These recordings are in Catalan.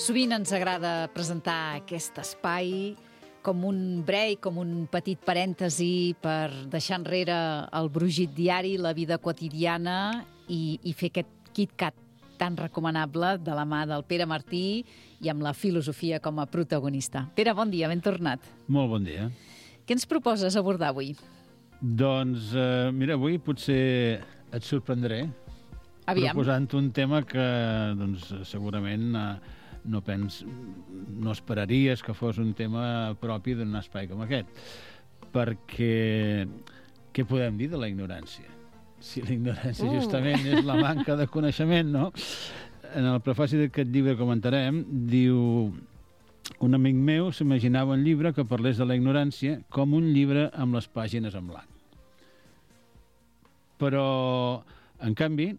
Sovint ens agrada presentar aquest espai com un break, com un petit parèntesi per deixar enrere el brogit diari, la vida quotidiana i fer aquest KitKat tan recomanable de la mà del Pere Martí i amb la filosofia com a protagonista. Pere, bon dia, ben tornat. Molt bon dia. Què ens proposes abordar avui? Doncs, mira, avui potser et sorprendré proposant un tema que doncs, segurament no esperaries que fos un tema propi d'un espai com aquest. Perquè què podem dir de la ignorància? Si la ignorància justament és la manca de coneixement, no? En el prefaci d'aquest llibre que comentarem, diu: un amic meu s'imaginava un llibre que parlés de la ignorància com un llibre amb les pàgines en blanc. Però, en canvi,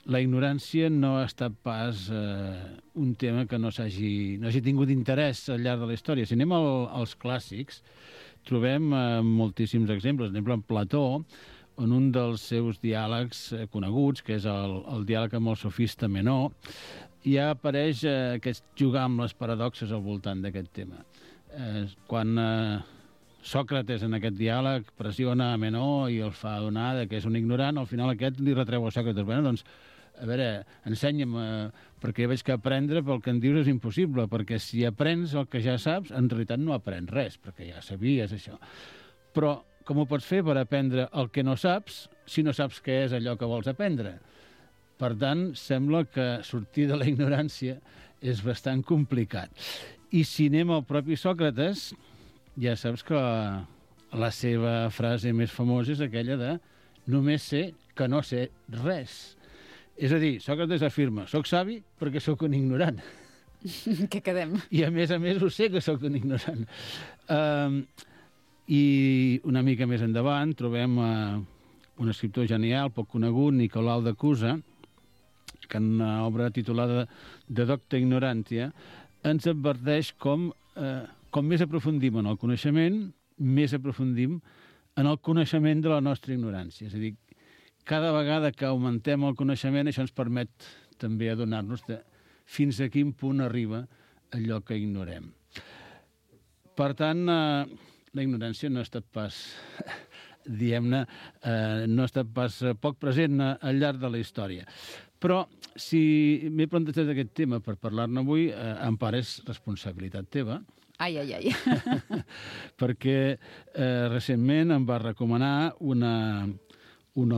la ignorància no ha estat pas un tema que no hagi tingut interès al llarg de la història. Si anem als clàssics, trobem moltíssims exemples. Per exemple, en Plató, en un dels seus diàlegs coneguts, que és el diàleg amb el sofista Menó, ja apareix aquest jugar amb les paradoxes al voltant d'aquest tema. Quan Sòcrates, en aquest diàleg, pressiona a Menó i el fa adonar que és un ignorant, al final aquest li retreu a Sòcrates: bueno, doncs, a veure, ensenya'm, perquè ja veig que aprendre pel que em dius és impossible, perquè si aprens el que ja saps, en realitat no aprens res, perquè ja sabies això. Però com ho pots fer per aprendre el que no saps si no saps què és allò que vols aprendre? Per tant, sembla que sortir de la ignorància és bastant complicat. I si anem al propi Sòcrates, ja saps que la seva frase més famosa és aquella de només sé que no sé res. És a dir, Sòcrates afirma: soc savi perquè sóc un ignorant. Que quedem. I a més ho sé que sóc un ignorant. I una mica més endavant trobem un escriptor genial, poc conegut, Nicolau de Cusa, que en una obra titulada De Docta Ignorantia ens adverteix com més aprofundim en el coneixement, més aprofundim en el coneixement de la nostra ignorància. És a dir, cada vegada que augmentem el coneixement, això ens permet també adonar-nos de fins a quin punt arriba allò que ignorem. Per tant, la ignorància no ha estat pas, diguem-ne, no ha estat pas poc present al llarg de la història. Però si m'he plantejat aquest tema per parlar-ne avui, en part és responsabilitat teva. Ai. Perquè recentment em va recomanar una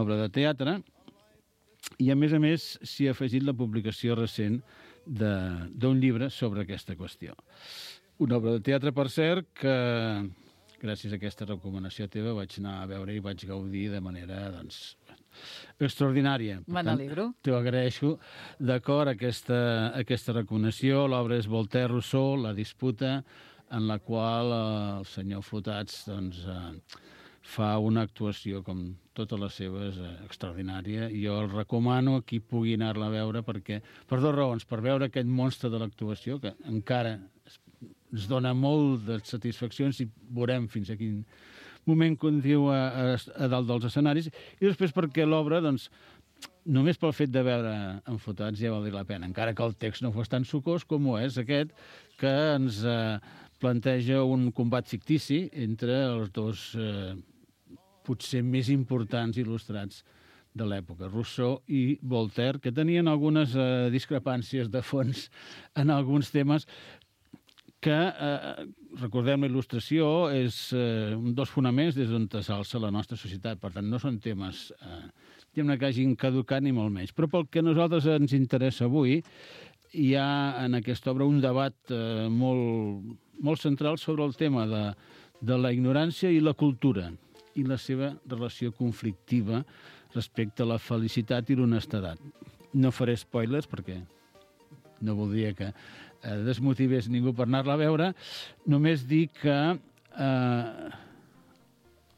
obra de teatre i, a més, s'hi ha afegit la publicació recent d'un llibre sobre aquesta qüestió. Una obra de teatre, per cert, que gràcies a aquesta recomanació teva vaig anar a veure i vaig gaudir de manera, doncs, extraordinària. Me n'alegro. T'ho agraeixo. D'acord, aquesta recomanació. L'obra és Voltaire-Rousseau, La disputa, en la qual el senyor Flotats doncs, fa una actuació, com totes les seves, extraordinària. Jo el recomano a qui pugui anar-la a veure per dues raons. Per veure aquest monstre de l'actuació, que encara ens dona molt de satisfaccions i veurem fins a quin moment continua a dalt dels escenaris, i després perquè l'obra, doncs, només pel fet de veure enfotats ja val dir la pena, encara que el text no fos tan sucós com ho és aquest, que ens planteja un combat fictici entre els dos potser més importants il·lustrats de l'època, Rousseau i Voltaire, que tenien algunes discrepàncies de fons en alguns temes que, recordem, la il·lustració és un dels fonaments des d'on s'alça la nostra societat. Per tant, no són temes que hagin caducat ni molt menys. Però pel que a nosaltres ens interessa avui, hi ha en aquesta obra un debat molt central sobre el tema de la ignorància i la cultura i la seva relació conflictiva respecte a la felicitat i l'honestedat. No faré spoilers perquè no voldria que desmotivés ningú per anar-la a veure. Només dir que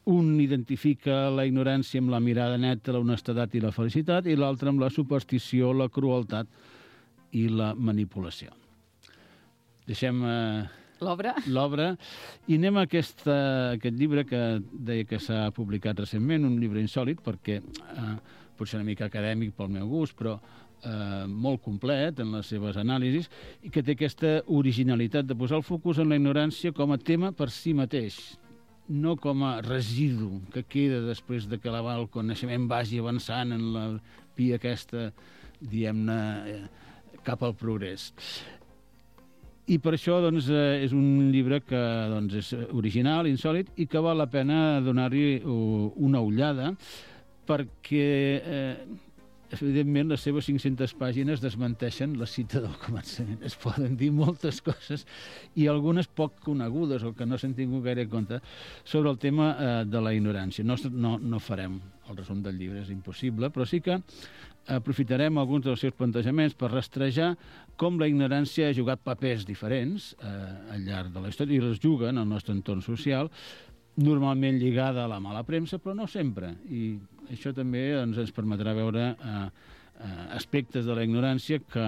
un identifica la ignorància amb la mirada neta, la honestedat i la felicitat, i l'altre amb la superstició, la crueltat i la manipulació. Deixem l'obra i anem a aquest llibre que deia que s'ha publicat recentment, un llibre insòlit, perquè potser una mica acadèmic pel meu gust, però molt complet en les seves anàlisis, i que té aquesta originalitat de posar el focus en la ignorància com a tema per si mateix, no com a residu que queda després de que el coneixement vagi avançant en la via aquesta, diguem-ne, cap al progrés. I per això doncs, és un llibre que doncs, és original, insòlit, i que val la pena donar-hi una ullada, perquè evidentment les seves 500 pàgines desmenteixen la cita del començament. Es poden dir moltes coses i algunes poc conegudes o que no s'han tingut gaire en compte sobre el tema de la ignorància. No farem el resum del llibre, és impossible, però sí que aprofitarem alguns dels seus plantejaments per rastrejar com la ignorància ha jugat papers diferents al llarg de la història i les juga en el nostre entorn social, normalment lligada a la mala premsa, però no sempre. I això també ens permetrà veure aspectes de la ignorància que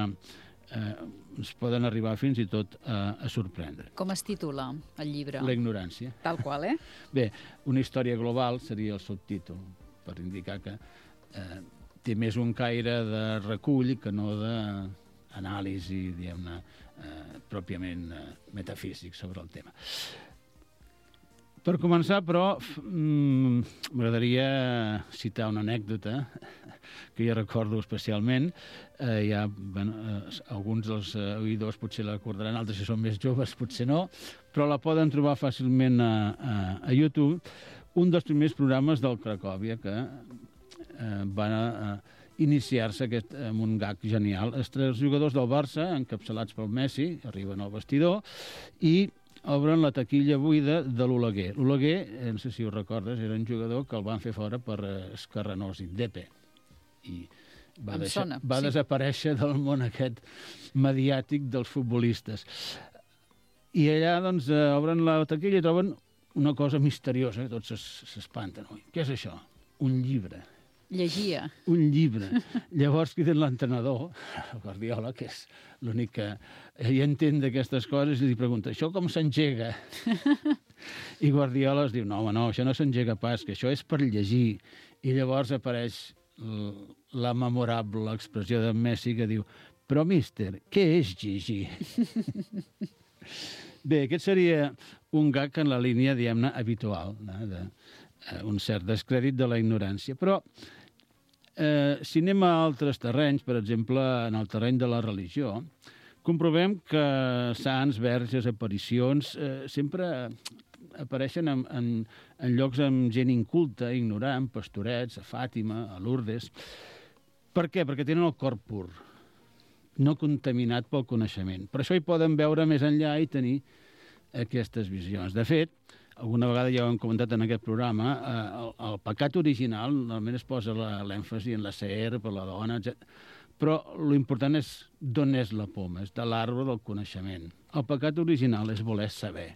ens poden arribar fins i tot a sorprendre. Com es titula el llibre? La ignorància. Tal qual, Bé, una història global seria el subtítol, per indicar que té més un caire de recull que no d'anàlisi, diguem-ne, pròpiament metafísic sobre el tema. Per començar, però, m'agradaria citar una anècdota que jo recordo especialment. Alguns dels oïdors potser la recordaran, altres si són més joves potser no, però la poden trobar fàcilment a YouTube. Un dels primers programes del Cracòvia que van iniciar-se amb un gag genial. Els tres jugadors del Barça, encapçalats pel Messi, arriben al vestidor i obren la taquilla buida de l'Oleguer. L'Oleguer, no sé si ho recordes, era un jugador que el van fer fora per escarrenós, Indepe. I va desaparèixer del món aquest mediàtic dels futbolistes. I allà, doncs, obren la taquilla i troben una cosa misteriosa, tots s'espanten. Què és això? Un llibre. Llegia. Un llibre. Llavors criden l'entrenador, el Guardiola, que és l'únic que hi entén d'aquestes coses, i li pregunta, això com s'engega? I Guardiola es diu, no, això no s'engega pas, que això és per llegir. I llavors apareix la memorable expressió de Messi que diu, però, míster, què és llegir? Bé, aquest seria un gag en la línia, diguem-ne, habitual, un cert descrèdit de la ignorància. Però si anem a altres terrenys, per exemple, en el terreny de la religió, comprovem que sants, verges, aparicions sempre apareixen en llocs amb gent inculta, ignorant, pastorets, a Fàtima, a Lourdes. Per què? Perquè tenen el cor pur, no contaminat pel coneixement. Per això hi poden veure més enllà i tenir aquestes visions. De fet, alguna vegada ja ho hem comentat en aquest programa, el pecat original normalment es posa l'èmfasi en la serp, la dona, etc. Però l'important és d'on és la poma, és de l'arbre del coneixement. El pecat original és voler saber.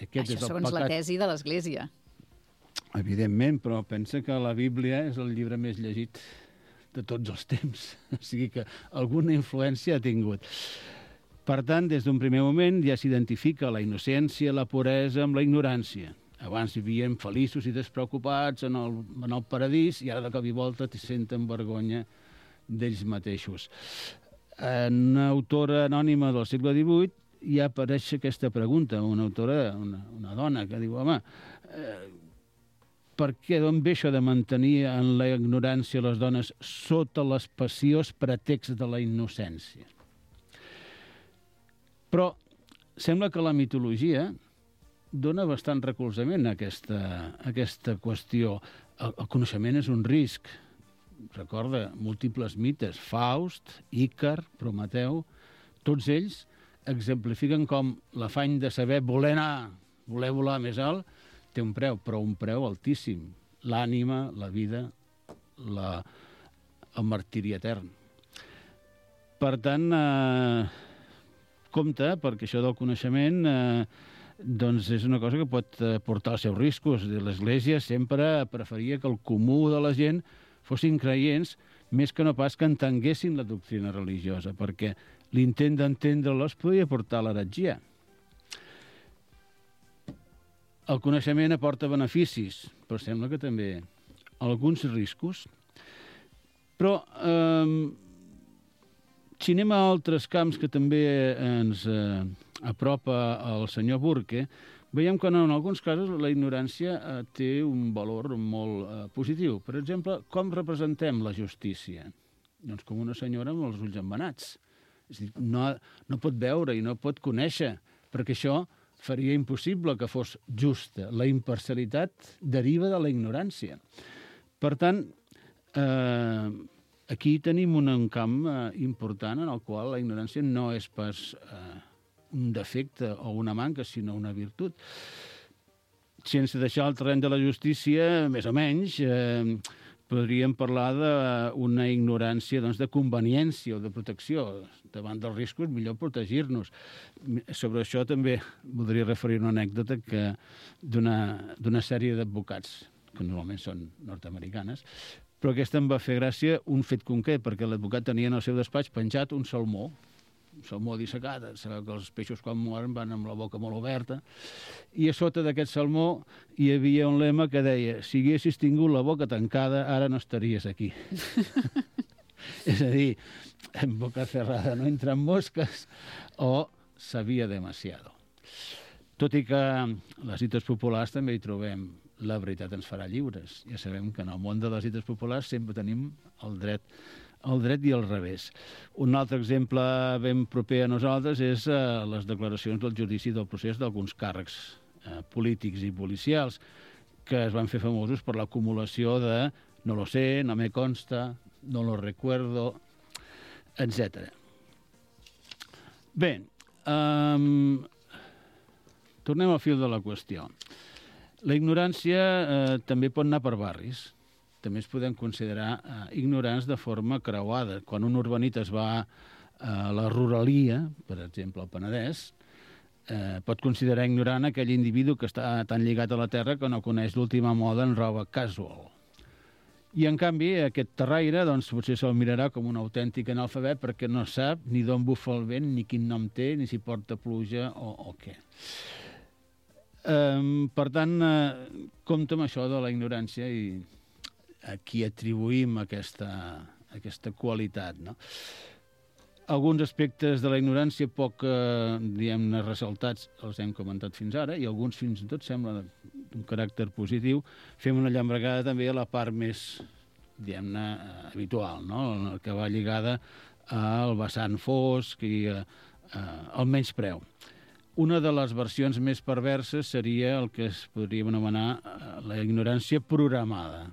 Això segons la tesi de l'Església. Evidentment, però pensa que la Bíblia és el llibre més llegit de tots els temps. O sigui que alguna influència ha tingut. Per tant, des d'un primer moment ja s'identifica la innocència, la puresa amb la ignorància. Abans vivien feliços i despreocupats en el paradís i ara de cop i volta senten vergonya d'ells mateixos. En una autora anònima del segle XVIII ja apareix aquesta pregunta, una autora, una dona, que diu, home, per què, d'on ve això de mantenir en la ignorància les dones sota l'expaciós pretext de la innocència? Però sembla que la mitologia dona bastant recolzament a aquesta qüestió. El coneixement és un risc. Recorda, múltiples mites, Faust, Ícar, Prometeu, tots ells exemplifiquen com l'afany de saber voler volar més alt, té un preu, però un preu altíssim. L'ànima, la vida, el martiri etern. Per tant, compte, perquè això del coneixement doncs és una cosa que pot portar els seus riscos. L'Església sempre preferia que el comú de la gent fossin creients més que no pas que entenguessin la doctrina religiosa, perquè l'intent d'entendre-los podia portar a l'heretgia. El coneixement aporta beneficis, però sembla que també alguns riscos. Però si anem a altres camps que també ens apropa el senyor Burke, veiem que en alguns casos la ignorància té un valor molt positiu. Per exemple, com representem la justícia? Doncs com una senyora amb els ulls embenats. És a dir, no pot veure i no pot conèixer, perquè això faria impossible que fos justa. La imparcialitat deriva de la ignorància. Per tant, aquí tenim un camp important en el qual la ignorància no és pas un defecte o una manca, sinó una virtut. Sense deixar el terreny de la justícia, més o menys, podríem parlar d'una ignorància de conveniència o de protecció. Davant dels riscos, millor protegir-nos. Sobre això també voldria referir una anècdota d'una sèrie d'advocats, que normalment són nord-americanes, però aquesta em va fer gràcia un fet concret, perquè l'advocat tenia en el seu despatx penjat un salmó dissecat. Sabeu que els peixos quan moren van amb la boca molt oberta, i a sota d'aquest salmó hi havia un lema que deia: si haguessis tingut la boca tancada, ara no estaries aquí. És a dir, en boca cerrada no entran mosques, o sabia demasiado. Tot i que a les cites populars també hi trobem la veritat ens farà lliures. Ja sabem que en el món de les cites populars sempre tenim el dret i el revés. Un altre exemple ben proper a nosaltres és les declaracions del judici del procés d'alguns càrrecs polítics i policials que es van fer famosos per l'acumulació de no lo sé, no me consta, no lo recuerdo, etc. Bé, tornem al fil de la qüestió. La ignorància també pot anar per barris. També es podem considerar ignorants de forma creuada. Quan un urbanita es va a la ruralia, per exemple, al Penedès, pot considerar ignorant aquell individu que està tan lligat a la terra que no coneix l'última moda en roba casual. I, en canvi, aquest terraire doncs, potser se'l mirarà com un autèntic analfabet perquè no sap ni d'on bufa el vent, ni quin nom té, ni si porta pluja o què. Per tant, compte amb això de la ignorància i a qui atribuïm aquesta qualitat, no? Alguns aspectes de la ignorància poc, diguem-ne, ressaltats els hem comentat fins ara, i alguns fins i tot semblen d'un caràcter positiu. Fem una llambregada també a la part més, diguem-ne, habitual, no? Que va lligada al vessant fosc i al menyspreu. Una de les versions més perverses seria el que es podria anomenar la ignorància programada.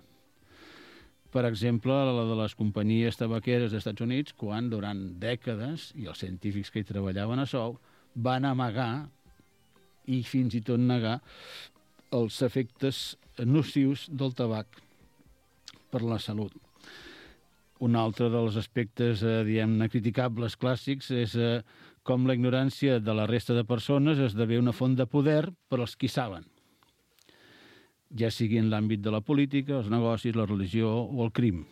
Per exemple, la de les companyies tabaqueres dels Estats Units, quan durant dècades, i els científics que hi treballaven a sou, van amagar i fins i tot negar els efectes nocius del tabac per la salut. Un altre dels aspectes, diguem-ne, criticables clàssics és com la ignorància de la resta de persones esdevé una font de poder per als qui saben, ja sigui en l'àmbit de la política, els negocis, la religió o el crim.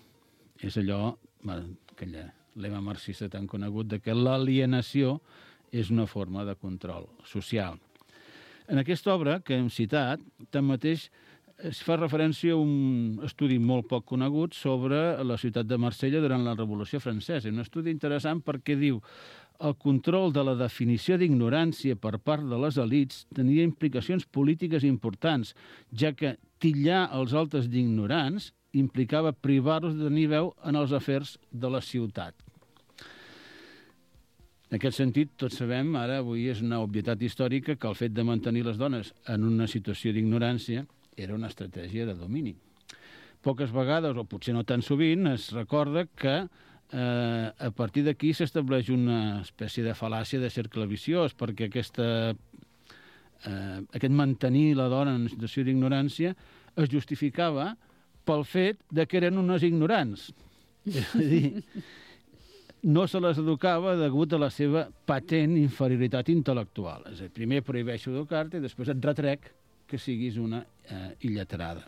És allò, aquell lema marxista tan conegut, de que l'alienació és una forma de control social. En aquesta obra que hem citat, tanmateix, es fa referència a un estudi molt poc conegut sobre la ciutat de Marsella durant la Revolució Francesa. Un estudi interessant perquè diu: el control de la definició d'ignorància per part de les elits tenia implicacions polítiques importants, ja que titllar els altres d'ignorants implicava privar-los de tenir veu en els afers de la ciutat. En aquest sentit, tots sabem, ara avui és una obvietat històrica, que el fet de mantenir les dones en una situació d'ignorància era una estratègia de domini. Poques vegades, o potser no tan sovint, es recorda que a partir d'aquí s'estableix una espècie de fal·làcia de cercle viciós, perquè aquest mantenir la dona en una situació d'ignorància es justificava pel fet de que eren unes ignorants. És a dir, no se les educava degut a la seva patent inferioritat intel·lectual. És a dir, primer prohibeixo educar-te i després et retrec que siguis una illetrada.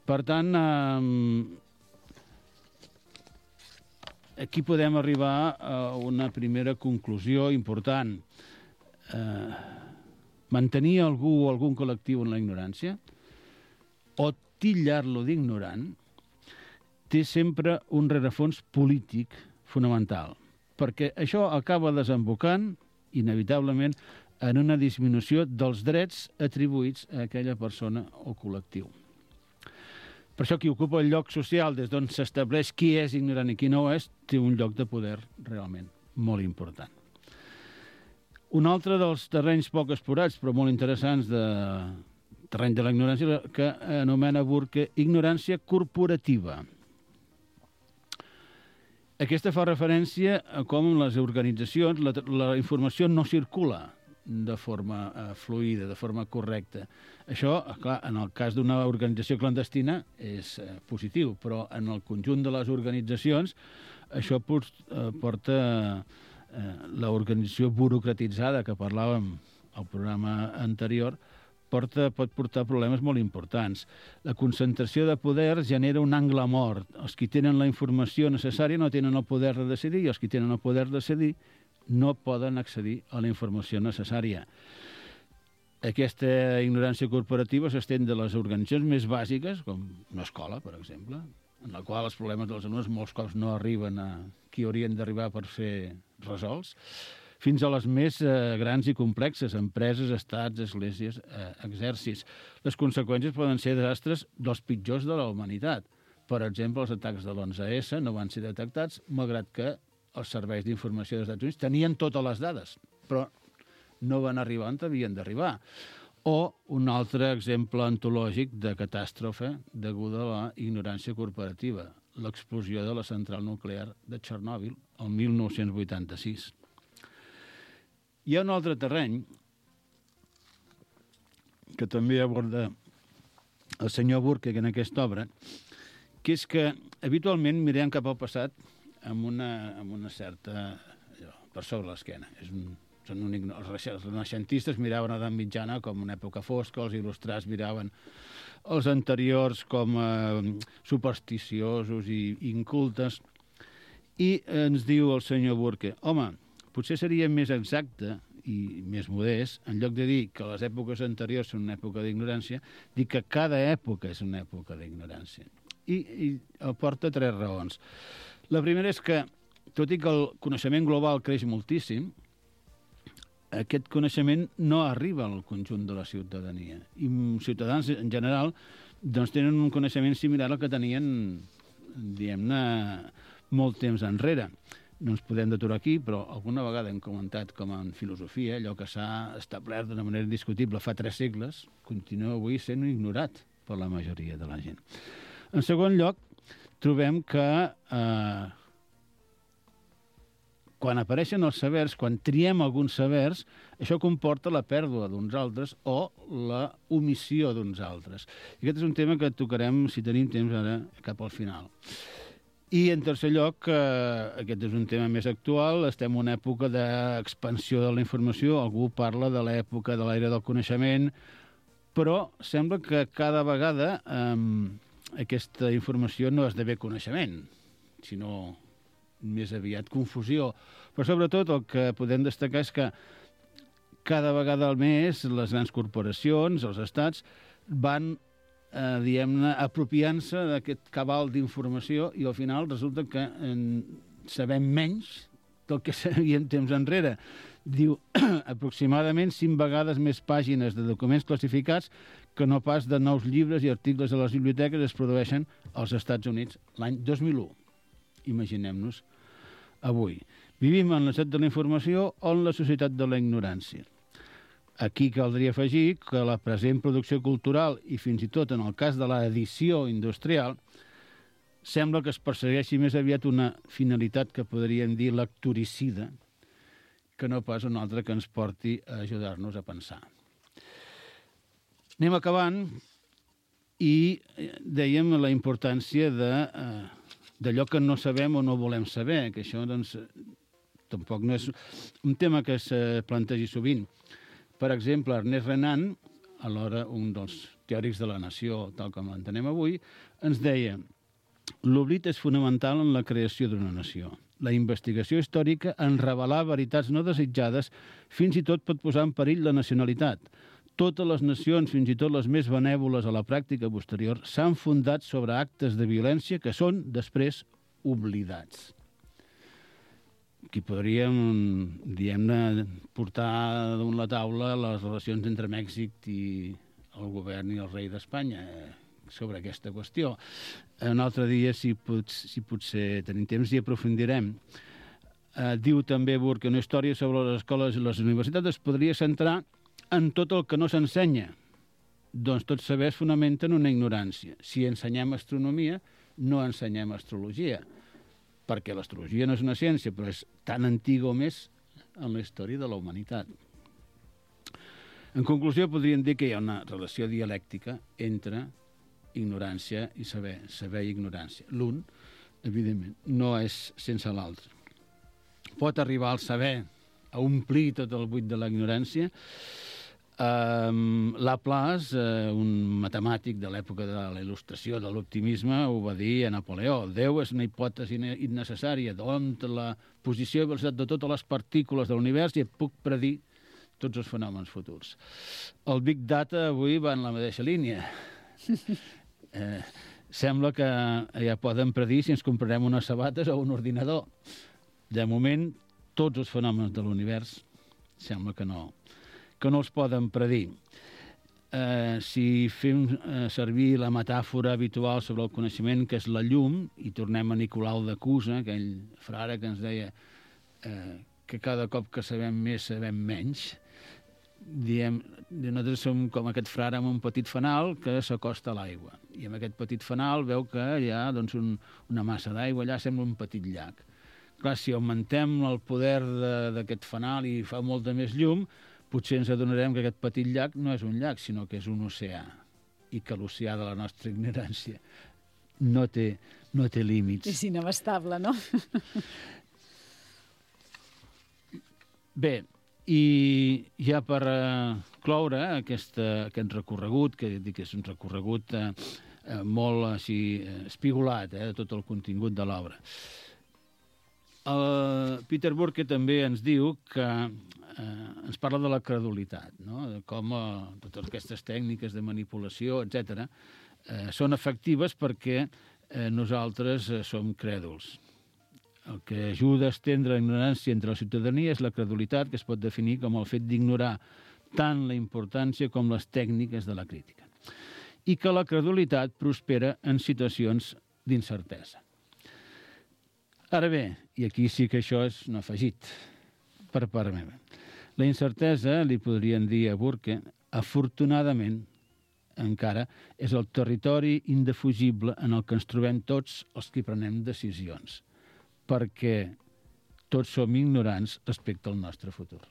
Per tant, aquí podem arribar a una primera conclusió important. Mantenir algú o algun col·lectiu en la ignorància o titllar-lo d'ignorant té sempre un rerefons polític fonamental, perquè això acaba desembocant, inevitablement, en una disminució dels drets atribuïts a aquella persona o col·lectiu. Per això qui ocupa el lloc social des d'on s'estableix qui és ignorant i qui no és, té un lloc de poder realment molt important. Un altre dels terrenys poc explorats, però molt interessants de terreny de la ignorància, que anomena Burke ignorància corporativa. Aquesta fa referència a com en les organitzacions la informació no circula de forma fluida, de forma correcta. Això, clar, en el cas d'una organització clandestina és positiu, però en el conjunt de les organitzacions això porta l'organització burocratitzada que parlàvem al programa anterior, pot portar problemes molt importants. La concentració de poder genera un angle mort. Els que tenen la informació necessària no tenen el poder de decidir i els que tenen el poder de decidir no poden accedir a la informació necessària. Aquesta ignorància corporativa s'estén de les organitzacions més bàsiques, com una escola, per exemple, en la qual els problemes dels alumnes molts cops no arriben a qui haurien d'arribar per ser resolts, fins a les més grans i complexes, empreses, estats, esglésies, exèrcits. Les conseqüències poden ser desastres dels pitjors de la humanitat. Per exemple, els atacs de l'11S no van ser detectats, malgrat que els serveis d'informació dels Estats Units tenien totes les dades, però no van arribar on havien d'arribar. O un altre exemple antològic de catàstrofe deguda a la ignorància corporativa, l'explosió de la central nuclear de Txernòbil el 1986. Hi ha un altre terreny que també aborda el senyor Burke en aquesta obra, que és que habitualment mirem cap al passat amb una certa per sobre l'esquena. Els renaixentistes miraven a l'edat mitjana com una època fosca, els il·lustrats miraven els anteriors com supersticiosos i incultes. I ens diu el senyor Burke, home, potser seria més exacte i més modest, en lloc de dir que les èpoques anteriors són una època d'ignorància, dir que cada època és una època d'ignorància. I aporta 3 raons. La primera és que, tot i que el coneixement global creix moltíssim, aquest coneixement no arriba al conjunt de la ciutadania. I ciutadans, en general, doncs tenen un coneixement similar al que tenien, diguem-ne, molt temps enrere. No ens podem deturar aquí, però alguna vegada hem comentat com en filosofia, allò que s'ha establert d'una manera indiscutible fa 3 segles, continua avui sent ignorat per la majoria de la gent. En segon lloc, trobem que quan apareixen els sabers, quan triem alguns sabers, això comporta la pèrdua d'uns altres o la omissió d'uns altres. I aquest és un tema que tocarem, si tenim temps, ara cap al final. I, en tercer lloc, aquest és un tema més actual, estem en una època d'expansió de la informació, algú parla de l'època de l'era del coneixement, però sembla que cada vegada aquesta informació no esdevé coneixement, sinó més aviat confusió. Però sobretot el que podem destacar és que cada vegada més les grans corporacions, els estats, van diguem-ne, apropiant-se d'aquest cabal d'informació i al final resulta que sabem menys del que sabíem temps enrere. Diu aproximadament 5 vegades més pàgines de documents classificats que no pas de nous llibres i articles a les biblioteques es produeixen als Estats Units l'any 2001. Imaginem-nos avui. Vivim en la societat de la informació o en la societat de la ignorància. Aquí caldria afegir que la present producció cultural i fins i tot en el cas de l'edició industrial sembla que es persegueixi més aviat una finalitat que podríem dir lectoricida que no pas una altra que ens porti a ajudar-nos a pensar. Anem acabant i dèiem la importància de d'allò que no sabem o no volem saber, que això, doncs, tampoc no és un tema que es plantegi sovint. Per exemple, Ernest Renan, alhora un dels teòrics de la nació, tal com l'entenem avui, ens deia: l'oblit és fonamental en la creació d'una nació. La investigació històrica en revelar veritats no desitjades fins i tot pot posar en perill la nacionalitat. Totes les nacions, fins i tot les més benèvoles a la pràctica posterior, s'han fundat sobre actes de violència que són després oblidats. Aquí podríem, diguem-ne, portar damunt la taula les relacions entre Mèxic i el govern i el rei d'Espanya sobre aquesta qüestió. Un altre dia, si potser tenim temps, hi aprofundirem. Diu també Burke que una història sobre les escoles i les universitats es podria centrar en tot el que no s'ensenya. Doncs tot saber es fonamenta en una ignorància. Si ensenyem astronomia, no ensenyem astrologia, perquè l'astrologia no és una ciència, però és tan antiga o més en la història de la humanitat. En conclusió, podríem dir que hi ha una relació dialèctica entre ignorància i saber, saber i ignorància. L'un, evidentment, no és sense l'altre. Pot arribar al saber a omplir tot el buit de la ignorància. Laplace, un matemàtic de l'època de la il·lustració, de l'optimisme, ho va dir a Napoleó: Déu és una hipòtesi innecessària, d'on la posició i velocitat de totes les partícules de l'univers i et puc predir tots els fenòmens futurs. El Big Data avui va en la mateixa línia. Sembla que ja poden predir si ens comprarem unes sabates o un ordinador. De moment, tots els fenòmens de l'univers sembla que no els poden predir. Si fem servir la metàfora habitual sobre el coneixement, que és la llum, i tornem a Nicolau de Cusa, aquell frare que ens deia que cada cop que sabem més, sabem menys, diem, nosaltres som com aquest frare amb un petit fanal que s'acosta a l'aigua. I amb aquest petit fanal veu que hi ha una massa d'aigua, allà sembla un petit llac. Clar, si augmentem el poder d'aquest fanal i fa molta més llum, potser ens adonarem que aquest petit llac no és un llac, sinó que és un oceà, i que l'oceà de la nostra ignorància no té límits. És inabastable, no? Bé, i ja per cloure aquest recorregut, que dic que és un recorregut molt així espigolat, de tot el contingut de l'obra. Peter Burke també ens diu que ens parla de la credulitat, no? De com totes aquestes tècniques de manipulació, etc., són efectives perquè nosaltres som crèduls. El que ajuda a estendre la ignorància entre la ciutadania és la credulitat, que es pot definir com el fet d'ignorar tant la importància com les tècniques de la crítica. I que la credulitat prospera en situacions d'incertesa. Ara bé, i aquí sí que això és un afegit per part meva, la incertesa, li podrien dir a Burke, afortunadament, encara, és el territori indefugible en el que ens trobem tots els que prenem decisions, perquè tots som ignorants respecte al nostre futur.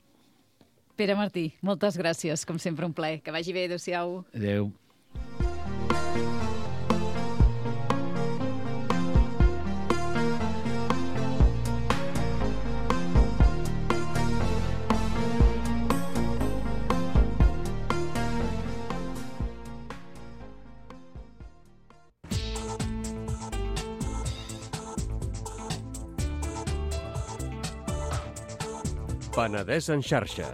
Pere Martí, moltes gràcies, com sempre un plaer. Que vagi bé, adéu-siau. Adéu. Penedès en xarxa.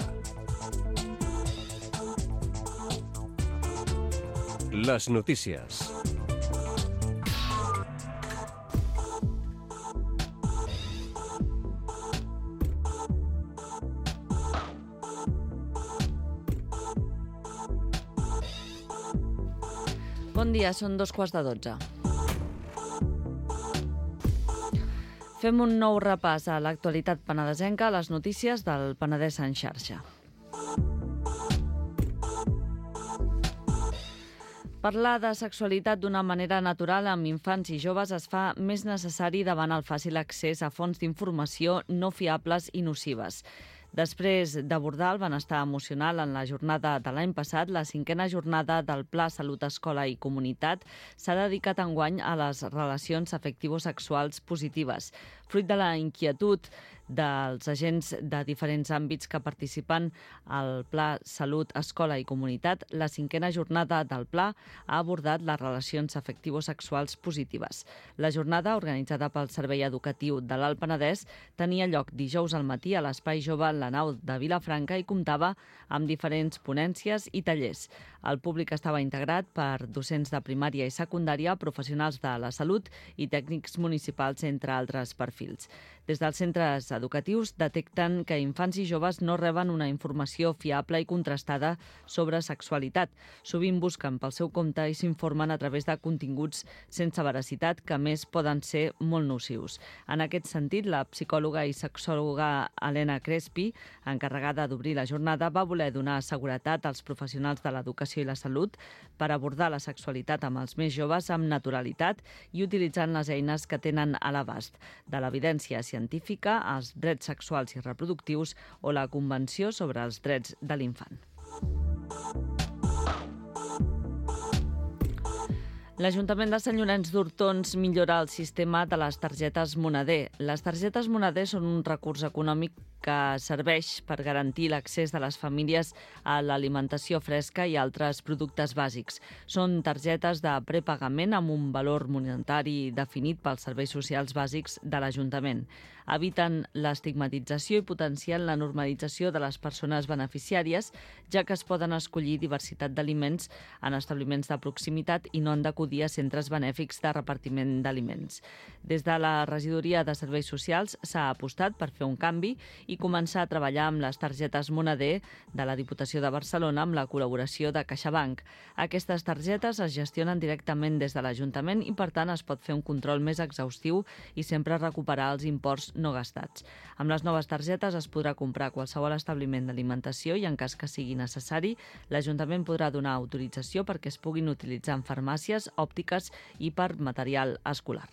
Les notícies. Bon dia, són 2:15. Fem un nou repàs a l'actualitat penedesenca, a les notícies del Penedès en xarxa. Parlar de sexualitat d'una manera natural amb infants i joves es fa més necessari davant el fàcil accés a fonts d'informació no fiables i nocives. Després d'abordar el benestar emocional en la jornada de l'any passat, la 5a jornada del Pla Salut Escola i Comunitat s'ha dedicat enguany a les relacions afectivo-sexuals positives. Fruit de la inquietud dels agents de diferents àmbits que participen al Pla Salut Escola i Comunitat, la 5a jornada del Pla ha abordat les relacions afectivo-sexuals positives. La jornada, organitzada pel Servei Educatiu de l'Alt Penedès, tenia lloc dijous al matí a l'Espai Jove en la nau de Vilafranca i comptava amb diferents ponències i tallers. El públic estava integrat per docents de primària i secundària, professionals de la salut i tècnics municipals, entre altres perfils. Des dels centres educatius detecten que infants i joves no reben una informació fiable i contrastada sobre sexualitat. Sovint busquen pel seu compte i s'informen a través de continguts sense veracitat que, a més, poden ser molt nocius. En aquest sentit, la psicòloga i sexòloga Helena Crespi, encarregada d'obrir la jornada, va voler donar seguretat als professionals de l'educació i la salut per abordar la sexualitat amb els més joves amb naturalitat i utilitzant les eines que tenen a l'abast, de l'evidència científica, els drets sexuals i reproductius o la Convenció sobre els drets de l'infant. L'Ajuntament de Sant Llorenç d'Hortons millora el sistema de les targetes Moneder. Les targetes Moneder són un recurs econòmic que serveix per garantir l'accés de les famílies a l'alimentació fresca i altres productes bàsics. Són targetes de prepagament amb un valor monetari definit pels serveis socials bàsics de l'Ajuntament. Eviten l'estigmatització i potencien la normalització de les persones beneficiàries, ja que es poden escollir diversitat d'aliments en establiments de proximitat i no han d'acudir a centres benèfics de repartiment d'aliments. Des de la Regidoria de Serveis Socials s'ha apostat per fer un canvi i començar a treballar amb les targetes Moneder de la Diputació de Barcelona amb la col·laboració de CaixaBank. Aquestes targetes es gestionen directament des de l'Ajuntament i, per tant, es pot fer un control més exhaustiu i sempre recuperar els imports no gastats. Amb les noves targetes es podrà comprar a qualsevol establiment d'alimentació i, en cas que sigui necessari, l'Ajuntament podrà donar autorització perquè es puguin utilitzar en farmàcies, òptiques i per material escolar.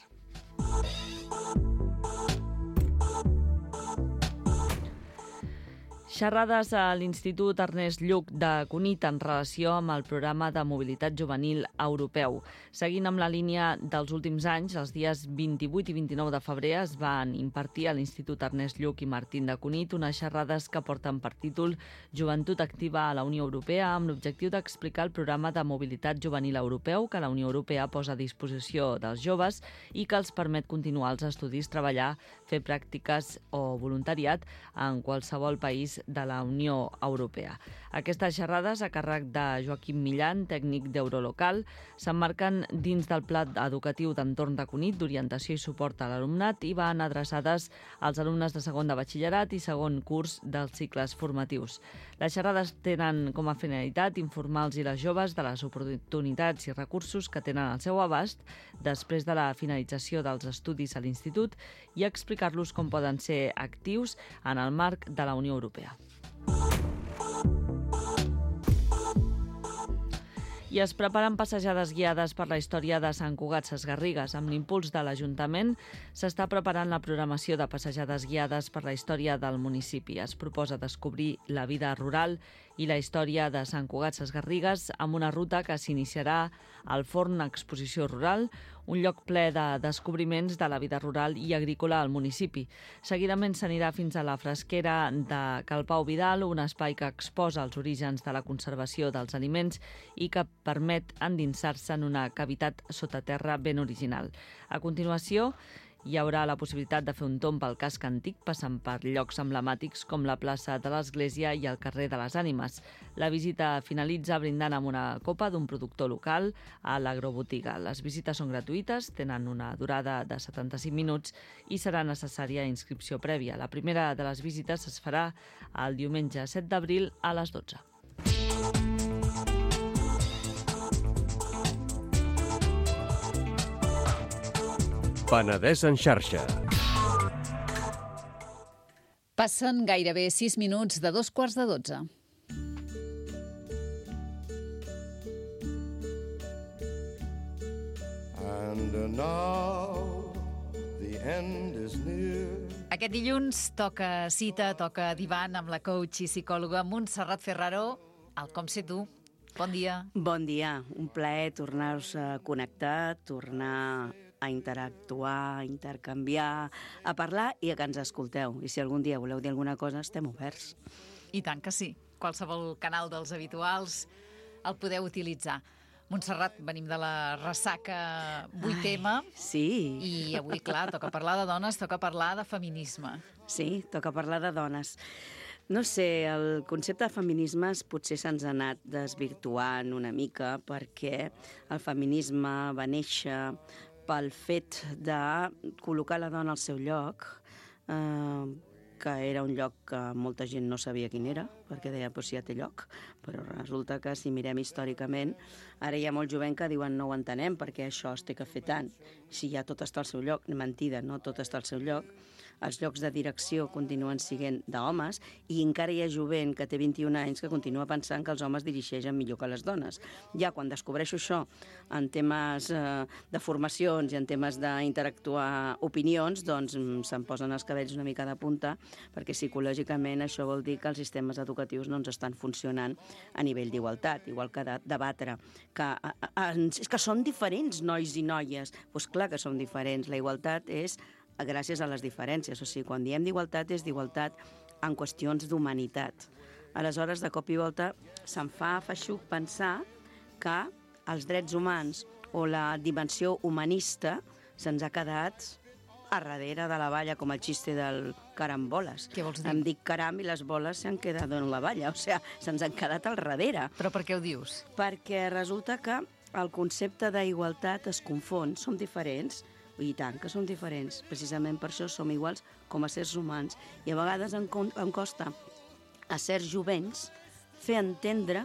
Xerrades a l'Institut Ernest Lluch de Cunit en relació amb el programa de mobilitat juvenil europeu. Seguint amb la línia dels últims anys, els dies 28 i 29 de febrer es van impartir a l'Institut Ernest Lluch i Martín de Cunit unes xerrades que porten per títol Joventut activa a la Unió Europea, amb l'objectiu d'explicar el programa de mobilitat juvenil europeu que la Unió Europea posa a disposició dels joves i que els permet continuar els estudis, treballar, fer pràctiques o voluntariat en qualsevol país de la Unió Europea. Aquestes xerrades, a càrrec de Joaquim Millan, tècnic d'Eurolocal, s'emmarquen dins del pla educatiu d'entorn de Cunit d'orientació i suport a l'alumnat i van adreçades als alumnes de segon de batxillerat i segon curs dels cicles formatius. Les xerrades tenen com a finalitat informar els i les joves de les oportunitats i recursos que tenen al seu abast després de la finalització dels estudis a l'institut i explicar-los com poden ser actius en el marc de la Unió Europea. I es preparen passejades guiades per la història de Sant Cugat Sesgarrigues. Amb l'impuls de l'Ajuntament s'està preparant la programació de passejades guiades per la història del municipi. Es proposa descobrir la vida rural i la història de Sant Cugat Sesgarrigues amb una ruta que s'iniciarà al Forn Exposició Rural, un lloc ple de descobriments de la vida rural i agrícola al municipi. Seguidament s'anirà fins a la fresquera de Cal Pau Vidal, un espai que exposa els orígens de la conservació dels aliments i que permet endinsar-se en una cavitat sota terra ben original. A continuació, hi haurà la possibilitat de fer un tomb pel casc antic passant per llocs emblemàtics com la plaça de l'Església i el carrer de les Ànimes. La visita finalitza brindant amb una copa d'un productor local a l'agrobotiga. Les visites són gratuïtes, tenen una durada de 75 minuts i serà necessària inscripció prèvia. La primera de les visites es farà el diumenge 7 d'abril a les 12. Penedès en xarxa. Passen gairebé 6 minuts de 12:15. And now the end is near. Aquest dilluns toca cita, toca divan amb la coach i psicòloga Montserrat Ferraro. El Com Ser Tu. Bon dia. Bon dia. Un plaer tornar-vos a connectar, tornar a interactuar, a intercanviar, a parlar i a que ens escolteu. I si algun dia voleu dir alguna cosa, estem oberts. I tant que sí. Qualsevol canal dels habituals el podeu utilitzar. Montserrat, venim de la ressaca 8M. Sí. I avui, clar, toca parlar de dones, toca parlar de feminisme. Sí, toca parlar de dones. No sé, el concepte de feminismes potser se'ns ha anat desvirtuant una mica perquè el feminisme va néixer pel fet de col·locar la dona al seu lloc, que era un lloc que molta gent no sabia quin era, perquè deia, pues ja té lloc, però resulta que si mirem històricament, ara hi ha molt jovent que diuen no ho entenem, perquè això es té que fer tant. Si ja tot està al seu lloc, mentida, no tot està al seu lloc. Els llocs de direcció continuen sent d'homes i encara hi ha jovent que té 21 anys que continua pensant que els homes dirigeixen millor que les dones. Ja quan descobreixo això en temes de formacions i en temes d'interactuar opinions, doncs se'm posen els cabells una mica de punta, perquè psicològicament això vol dir que els sistemes educatius no ens estan funcionant a nivell d'igualtat, igual que debatre que és que som diferents nois i noies. Doncs clar que som diferents, la igualtat és gràcies a les diferències. O sigui, quan diem d'igualtat és d'igualtat en qüestions d'humanitat. Aleshores, de cop i volta, se'm fa feixuc pensar que els drets humans o la dimensió humanista se'ns ha quedat a darrere de la valla, com el xiste del caramboles. Què vols dir? Em dic caram i les boles s'han quedat en la valla. O sigui, se'ns han quedat al darrere. Però per què ho dius? Perquè resulta que el concepte d'igualtat es confon. Som diferents, i tant que som diferents. Precisament per això som iguals com a sers humans. I a vegades em costa a certs jovents fer entendre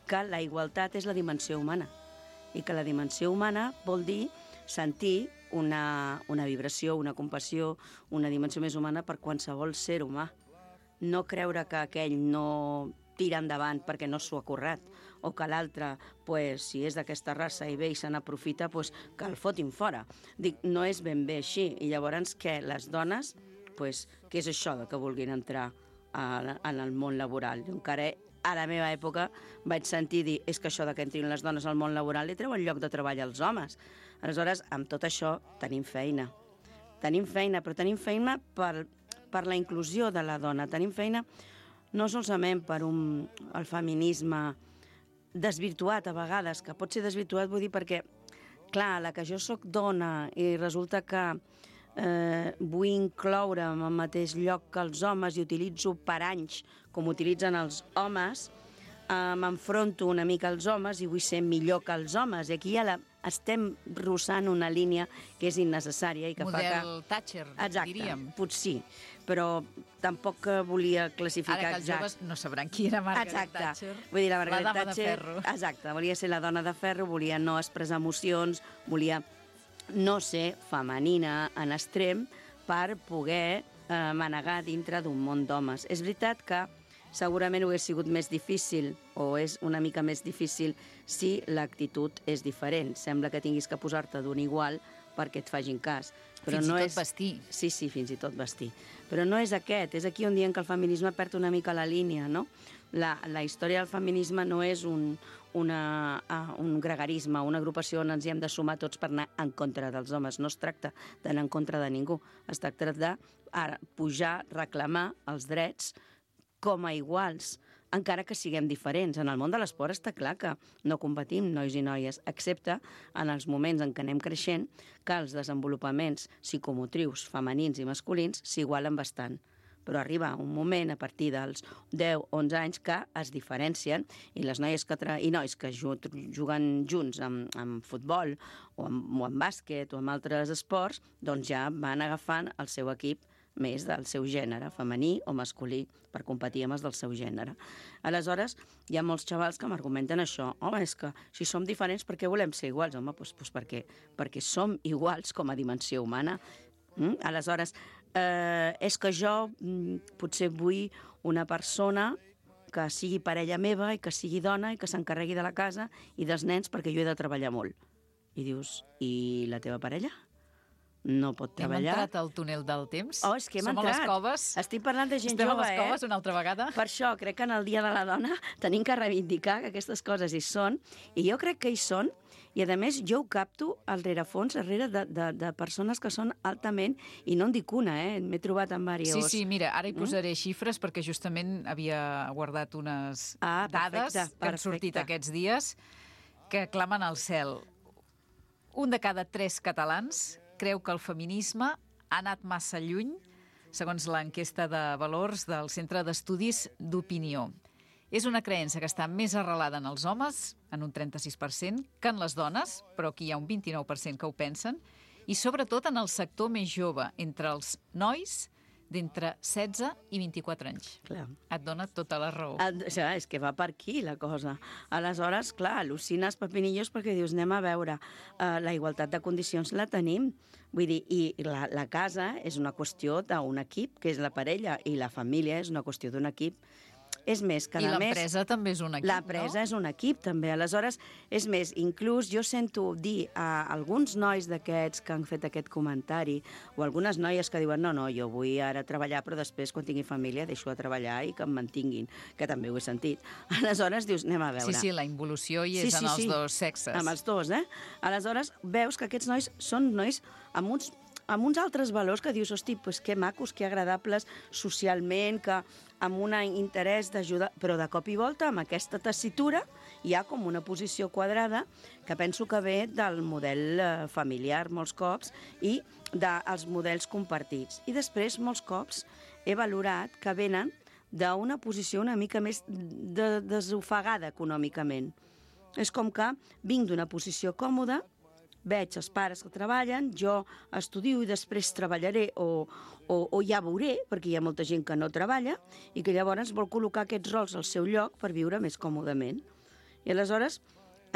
que la igualtat és la dimensió humana. I que la dimensió humana vol dir sentir una vibració, una compassió, una dimensió més humana per qualsevol ser humà. No creure que aquell no tira endavant perquè no s'ho ha currat, o que l'altre, si és d'aquesta raça i ve i se n'aprofita, que el fotin fora. Dic, no és ben bé així. I llavors, què? Les dones, què és això de que vulguin entrar en el món laboral? Jo encara a la meva època vaig sentir dir és que això de que entrin les dones al món laboral li treuen lloc de treball als homes. Aleshores, amb tot això tenim feina. Tenim feina, però tenim feina per la inclusió de la dona. Tenim feina no solament per el feminisme desvirtuat a vegades, que pot ser desvirtuat, vull dir, perquè, clar, la que jo sóc dona i resulta que vull incloure'm al mateix lloc que els homes i utilitzo paranys com utilitzen els homes, m'enfronto una mica als homes i vull ser millor que els homes. I aquí ja estem rossant una línia que és innecessària i que fa que... Model Thatcher, diríem. Exacte, potser sí, però tampoc volia classificar... Ara que els joves no sabran qui era Margaret Thatcher. Vull dir, la Margaret dama Thatcher, de ferro. Exacte, volia ser la dona de ferro, volia no expressar emocions, volia no ser femenina en extrem per poder manegar dintre d'un món d'homes. És veritat que segurament hagués sigut més difícil, o és una mica més difícil, si l'actitud és diferent. Sembla que tinguis que posar-te d'un igual perquè et facin cas. Però fins i tot vestir. Sí, fins i tot vestir. Però no és aquest, és aquí on diem que el feminisme perd una mica la línia, no? La història del feminisme no és un gregarisme, una agrupació on ens hi hem de sumar tots per anar en contra dels homes. No es tracta d'anar en contra de ningú. Es tracta de pujar, reclamar els drets com a iguals, encara que siguem diferents. En el món de l'esport està clar que no competim nois i noies, excepte en els moments en què anem creixent, que els desenvolupaments psicomotrius femenins i masculins s'igualen bastant. Però arriba un moment, a partir dels 10-11 anys, que es diferencien i les noies i nois que juguen junts en futbol o en bàsquet o en altres esports, doncs ja van agafant el seu equip més del seu gènere, femení o masculí, per competir amb els del seu gènere. Aleshores, hi ha molts xavals que m'argumenten això. Home, és que si som diferents, per què volem ser iguals? Home, doncs perquè som iguals com a dimensió humana. Aleshores, és que jo potser vull una persona que sigui parella meva i que sigui dona i que s'encarregui de la casa i dels nens perquè jo he de treballar molt. I dius, i la teva parella? no pot Hem treballar. entrat al túnel del temps? Oh, és que hem Som entrat. a les coves. Estic parlant de gent Estem jove, a les coves una altra vegada. Per això crec que en el Dia de la Dona tenim que reivindicar que aquestes coses hi són, i jo crec que hi són, i a més jo ho capto al rerefons, darrere de persones que són altament, i no en dic una, m'he trobat amb diversos. Sí, mira, ara hi posaré xifres perquè justament havia guardat unes dades perfecte, que han sortit aquests dies que clamen al cel. Un de cada 3 catalans creu que el feminisme ha anat massa lluny, segons l'enquesta de valors del Centre d'Estudis d'Opinió. És una creença que està més arrelada en els homes, en un 36%, que en les dones, però aquí hi ha un 29% que ho pensen, i sobretot en el sector més jove, entre els nois d'entre 16 i 24 anys. Clar. Et dona tota la raó. És que va per aquí la cosa. Aleshores, clar, al·lucines pepinillos perquè dius, anem a veure, la igualtat de condicions la tenim. Vull dir, i la casa és una qüestió d'un equip, que és la parella, i la família és una qüestió d'un equip. És més, que I l'empresa també és un equip, l'empresa és un equip, també. Aleshores, és més, inclús jo sento dir a alguns nois d'aquests que han fet aquest comentari, o algunes noies que diuen, no, jo vull ara treballar, però després, quan tingui família, deixo de treballar i que em mantinguin, que també ho he sentit. Aleshores, dius, anem a veure. Sí, la involució hi és en els dos sexes. Amb els dos, Aleshores, veus que aquests nois són nois amb uns altres valors que dius, hosti, pues que macos, que agradables socialment, que amb un interès d'ajudar, però de cop i volta, amb aquesta tessitura, hi ha com una posició quadrada que penso que ve del model familiar molts cops i dels models compartits. I després, molts cops, he valorat que venen d'una posició una mica més desofegada econòmicament. És com que vinc d'una posició còmoda, veig els pares que treballen, jo estudio i després treballaré o ja veuré, perquè hi ha molta gent que no treballa i que llavors vol col·locar aquests rols al seu lloc per viure més còmodament. I aleshores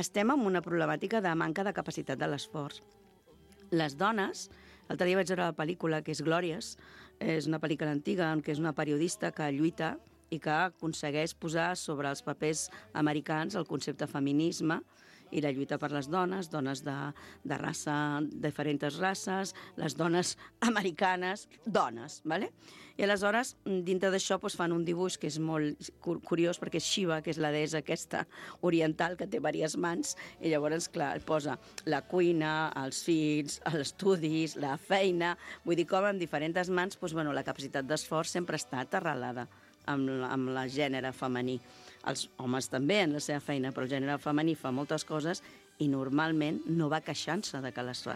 estem en una problemàtica de manca de capacitat de l'esforç. Les dones, l'altre dia vaig veure la pel·lícula que és Glòries, és una pel·lícula antiga en què és una periodista que lluita i que aconsegueix posar sobre els papers americans el concepte feminisme i la lluita per les dones de raça, diferents races, les dones americanes, dones, ¿vale? I aleshores, dintre d'això, fan un dibuix que és molt curiós, perquè és Shiva, que és la deessa aquesta oriental, que té diverses mans, i llavors, clar, posa la cuina, els fills, els estudis, la feina, vull dir, com amb diferents mans, la capacitat d'esforç sempre ha estat arrelada amb la gènere femení. Els homes també en la seva feina, però el gènere femení fa moltes coses i normalment no va queixant-se de que les fa.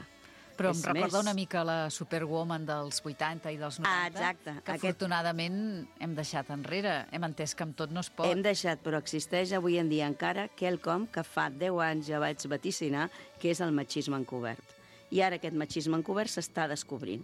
Però em recorda una mica la Superwoman dels 80 i dels 90, exacte, que afortunadament hem deixat enrere. Hem entès que amb tot no es pot. Hem deixat, però existeix avui en dia encara quelcom que fa 10 anys ja vaig vaticinar, que és el machisme encobert. I ara aquest machisme encobert s'està descobrint.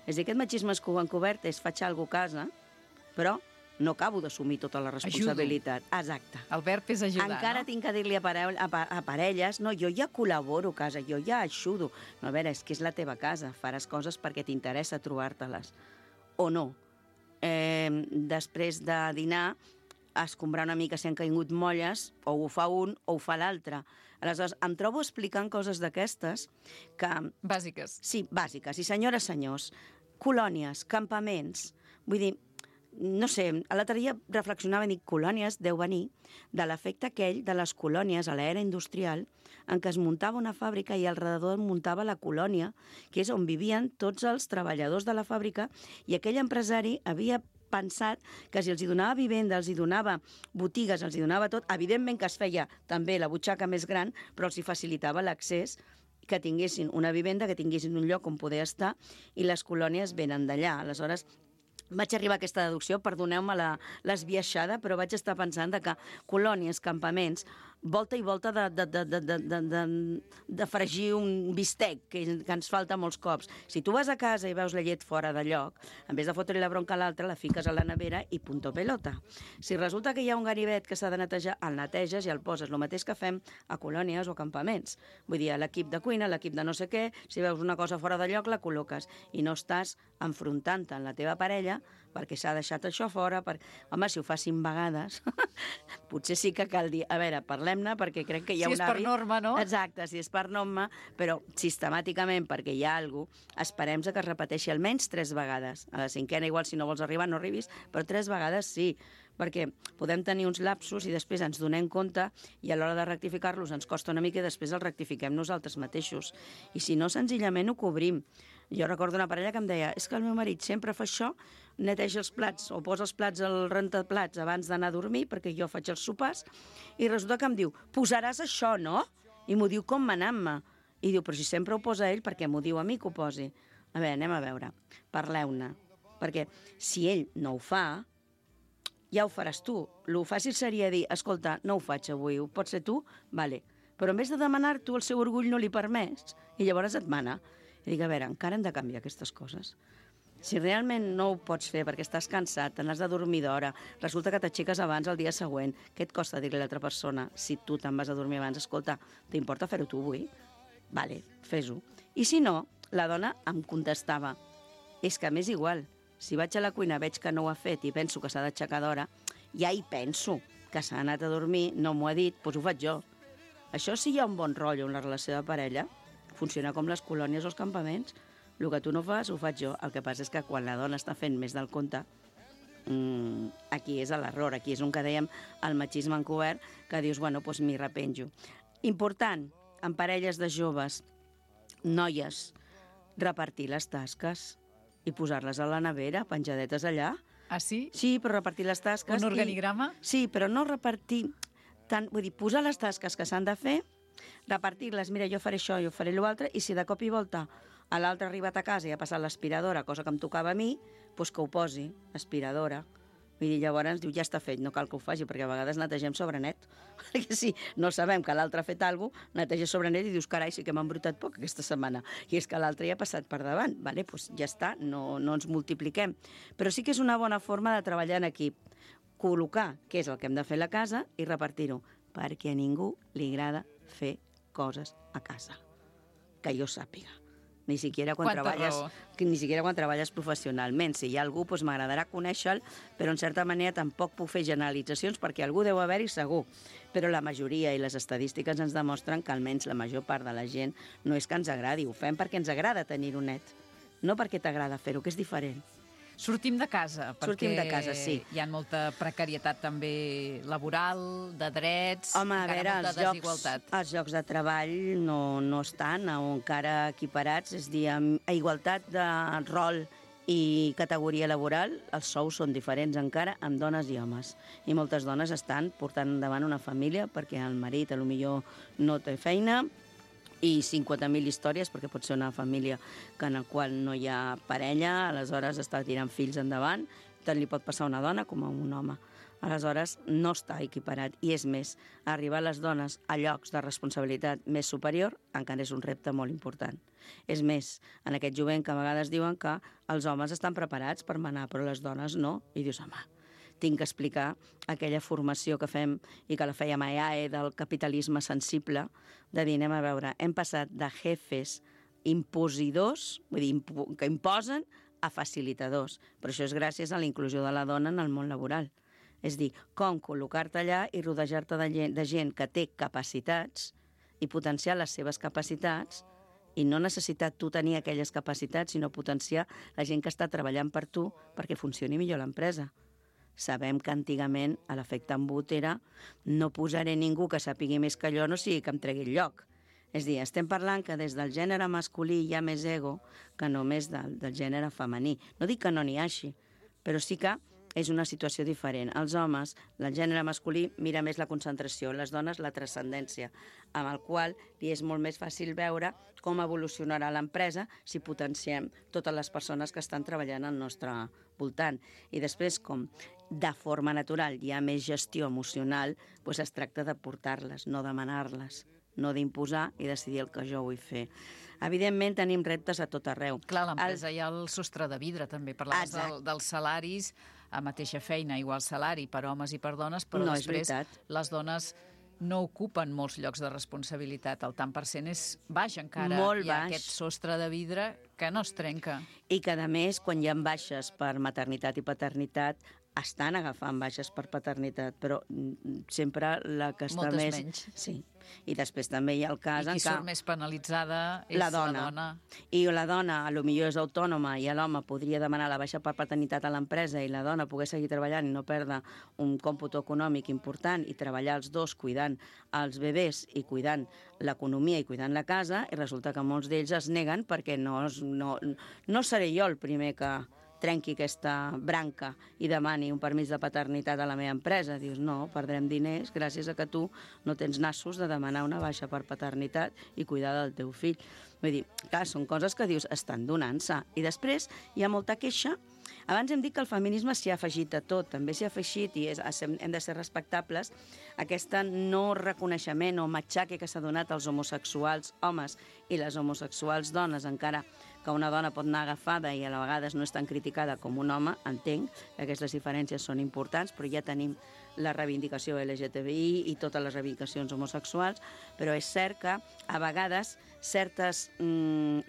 És a dir, aquest machisme encobert és faig alguna cosa a casa, però no acabo d'assumir tota la responsabilitat. Ajudo. Exacte. El verb és ajudar, Encara tinc que dir-li a parelles, no, jo ja col·laboro a casa, jo ja ajudo. No, a veure, és que és la teva casa, faràs coses perquè t'interessa trobar-te-les. O no. Després de dinar, escombrar una mica si han caigut molles, o ho fa un o ho fa l'altre. Aleshores, em trobo explicant coses d'aquestes que... Bàsiques. Sí, bàsiques. I senyores, senyors, colònies, campaments, vull dir, no sé, l'altre dia reflexionava i dic, colònies deu venir de l'efecte aquell de les colònies a l'era industrial en què es muntava una fàbrica i al redador muntava la colònia, que és on vivien tots els treballadors de la fàbrica, i aquell empresari havia pensat que si els hi donava vivenda, els hi donava botigues, els hi donava tot, evidentment que es feia també la butxaca més gran, però els hi facilitava l'accés, que tinguessin una vivenda, que tinguessin un lloc on poder estar, i les colònies venen d'allà. Aleshores, vaig arribar a aquesta deducció, perdoneu-me l'esbiaixada, però vaig estar pensant que colònies, campaments, volta i volta de fregir un bistec, que ens falta molts cops. Si tu vas a casa i veus la llet fora de lloc, en vez de fotre-li la bronca a l'altre, la fiques a la nevera i punto pelota. Si resulta que hi ha un ganivet que s'ha de netejar, el neteges i el poses. El mateix que fem a colònies o campaments. Vull dir, a l'equip de cuina, a l'equip de no sé què, si veus una cosa fora de lloc, la col·loques. I no estàs enfrontant-te amb la teva parella perquè s'ha deixat això fora. Home, si ho fa 5 vegades, potser sí que cal dir, a veure, parlem parlem-ne perquè crec que hi ha Si un és per hàbit... norma, no? Exacte, si és per norma, però sistemàticament, perquè hi ha alguna cosa, esperem que es repeteixi almenys 3 vegades. A la 5ª, igual, si no vols arribar, no arribis, però 3 vegades sí, perquè podem tenir uns lapsus i després ens donem compte i a l'hora de rectificar-los ens costa una mica i després els rectifiquem nosaltres mateixos. I si no, senzillament ho cobrim. Jo recordo una parella que em deia és que el meu marit sempre fa això, neteja els plats o posa els plats al rentaplats abans d'anar a dormir, perquè jo faig els sopars, i resulta que em diu, posaràs això, no? I m'ho diu com manant-me. I diu, però si sempre ho posa ell, perquè m'ho diu a mi que ho posi. A veure, anem a veure, parleu-ne. Perquè si ell no ho fa, ja ho faràs tu. Lo fàcil seria dir, escolta, no ho faig avui, ho pots ser tu? Vale. Però en vez de demanar-t'ho, el seu orgull no li permès, i llavors et mana. I dic, a veure, encara hem de canviar aquestes coses. Si realment no ho pots fer perquè estàs cansat, te n'has de dormir d'hora, resulta que t'aixeques abans el dia següent, què et costa dir-li a l'altra persona? Si tu te'n vas a dormir abans, escolta, t'importa fer-ho tu avui? Vale, fes-ho. I si no, la dona em contestava, és que m'és igual, si vaig a la cuina, veig que no ho ha fet i penso que s'ha d'aixecar d'hora, ja hi penso que s'ha anat a dormir, no m'ho ha dit, doncs ho faig jo. Això sí hi ha un bon rotllo en la relació de parella, funciona com les colònies o els campaments. El que tu no fas, ho faig jo. El que passa és que quan la dona està fent més del compte, aquí és l'error, aquí és on que dèiem el machisme encobert, que dius, bueno, doncs m'hi repenjo. Important, en parelles de joves, noies, repartir les tasques i posar-les a la nevera, penjadetes allà. Ah, sí? Sí, però repartir les tasques... Un organigrama? Sí, però no repartir tant... Vull dir, posar les tasques que s'han de fer, repartir-les, mira, jo faré això, jo faré l'altre, i si de cop i volta a l'altre ha arribat a casa i ha passat l'aspiradora, cosa que em tocava a mi, doncs que ho posi, aspiradora. Vull dir, llavors diu, ja està fet, no cal que ho faci, perquè a vegades netegem sobre net. Perquè si no sabem que l'altre ha fet alguna cosa, neteja sobre net i dius, carai, sí que m'ha embrutat poc aquesta setmana. I és que l'altre ja ha passat per davant. Vale? Doncs ja està, no ens multipliquem. Però sí que és una bona forma de treballar en equip. Col·locar què és el que hem de fer a la casa i repartir-ho, perquè a ningú li agrada fer coses a casa. Que jo sàpiga. Ni siquiera quan treballes professionalment. Si hi ha algú, doncs m'agradarà conèixer-lo, però en certa manera tampoc puc fer generalitzacions perquè algú deu haver-hi segur. Però la majoria i les estadístiques ens demostren que almenys la major part de la gent no és que ens agradi, ho fem perquè ens agrada tenir-ho net, no perquè t'agrada fer-ho, que és diferent. Sortim de casa, Sortim de casa, sí. Hi ha molta precarietat també laboral, de drets, home, a veure, molta desigualtat. Els llocs de treball no estan o encara equiparats, és a dir, a igualtat de rol i categoria laboral, els sous són diferents encara amb dones i homes. I moltes dones estan portant endavant una família perquè el marit potser no té feina, i 50.000 històries, perquè pot ser una família en la qual no hi ha parella, aleshores està tirant fills endavant, tant li pot passar a una dona com a un home. Aleshores, no està equiparat. I és més, arribar les dones a llocs de responsabilitat més superior encara és un repte molt important. És més, en aquest jovent que a vegades diuen que els homes estan preparats per manar, però les dones no. I dius, home, tinc que explicar aquella formació que fem i que la fèiem a EAE del capitalisme sensible, de dir, anem a veure, hem passat de jefes imposidors, vull dir, que imposen, a facilitadors. Però això és gràcies a la inclusió de la dona en el món laboral. És dir, com col·locar-te allà i rodejar-te de gent que té capacitats i potenciar les seves capacitats i no necessitar tu tenir aquelles capacitats, sinó potenciar la gent que està treballant per tu perquè funcioni millor l'empresa. Sabem que antigament l'efecte embut era no posaré ningú que sàpigui més que jo, no sigui que em tregui el lloc. És a dir, estem parlant que des del gènere masculí hi ha més ego que només del gènere femení. No dic que no n'hi hagi, però sí que és una situació diferent. Els homes, el gènere masculí, mira més la concentració, les dones la transcendència, amb el qual li és molt més fàcil veure com evolucionarà l'empresa si potenciem totes les persones que estan treballant al nostre voltant. I després, com de forma natural hi ha més gestió emocional, doncs es tracta de portar-les, no demanar-les, no d'imposar i decidir el que jo vull fer. Evidentment, tenim reptes a tot arreu. Clar, l'empresa hi ha el sostre de vidre, també. Parlaves dels salaris, a mateixa feina, igual salari per homes i per dones, però no, després les dones no ocupen molts llocs de responsabilitat. El tant per cent és baix encara. Molt hi ha baix. aquest sostre de vidre que no es trenca. I que, a més, quan hi ha baixes per maternitat i paternitat, estan agafant baixes per paternitat, però sempre la que està Moltes més... menys. Sí. I després també hi ha el cas I qui surt més penalitzada és la dona. I la dona, potser és autònoma i l'home podria demanar la baixa per paternitat a l'empresa i la dona pogués seguir treballant i no perdre un còmput econòmic important i treballar els dos cuidant els bebès i cuidant l'economia i cuidant la casa, i resulta que molts d'ells es neguen perquè no seré jo el primer que trenqui aquesta branca i demani un permís de paternitat a la meva empresa. Dius, no, perdrem diners gràcies a que tu no tens nassos de demanar una baixa per paternitat i cuidar del teu fill. Vull dir, clar, són coses que dius, estan donant-se. I després hi ha molta queixa. Abans hem dit que el feminisme s'hi ha afegit a tot, també s'hi ha afegit, i hem de ser respectables, aquest no reconeixement o matxaque que s'ha donat als homosexuals homes i les homosexuals dones, encara que una dona pot anar agafada i a la vegades no és tan criticada com un home, entenc que aquestes diferències són importants, però ja tenim la reivindicació LGTBI i totes les reivindicacions homosexuals, però és cert que a vegades certes